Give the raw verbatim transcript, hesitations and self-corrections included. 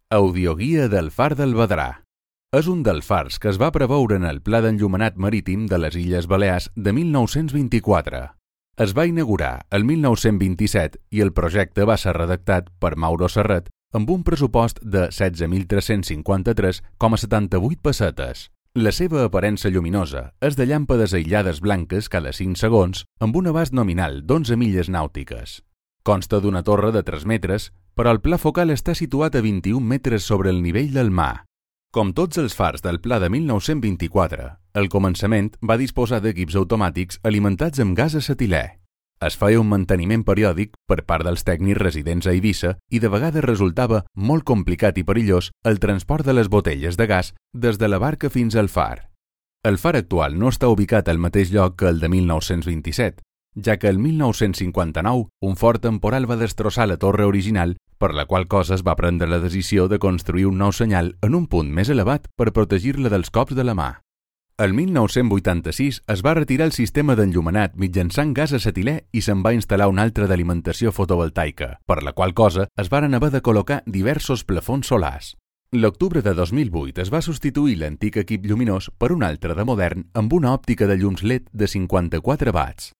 Audioguia del Far del Vedrà. És un dels fars que es va preveure en el Pla d'Enllumenat Marítim de les Illes Balears de mil nou-cents vint-i-quatre. Es va inaugurar el mil nou-cents vint-i-set i el projecte va ser redactat per Mauro Serret amb un pressupost de setze mil tres-cents cinquanta-tres coma setanta-vuit pessetes. La seva aparença lluminosa és de llàmpades aïllades blanques cada cinc segons amb un abast nominal d'onze milles nàutiques. Consta d'una torre de tres metres, però el pla focal està situat a vint-i-un metres sobre el nivell del mar. Com tots els fars del pla de mil nou-cents vint-i-quatre, el començament va disposar d'equips automàtics alimentats amb gas acetilè. Es feia un manteniment periòdic per part dels tècnics residents a Eivissa i de vegades resultava molt complicat i perillós el transport de les botelles de gas des de la barca fins al far. El far actual no està ubicat al mateix lloc que el de mil nou-cents vint-i-set, ja que el mil nou-cents cinquanta-nou un fort temporal va destrossar la torre original, per la qual cosa es va prendre la decisió de construir un nou senyal en un punt més elevat per protegir-la dels cops de la mà. El mil nou-cents vuitanta-sis es va retirar el sistema d'enllumenat mitjançant gas acetilè i se'n va instal·lar un altre d'alimentació fotovoltaica, per la qual cosa es varen haver de col·locar diversos plafons solars. L'octubre de dos mil vuit es va substituir l'antic equip lluminós per un altre de modern amb una òptica de llums L E D de cinquanta-quatre watts.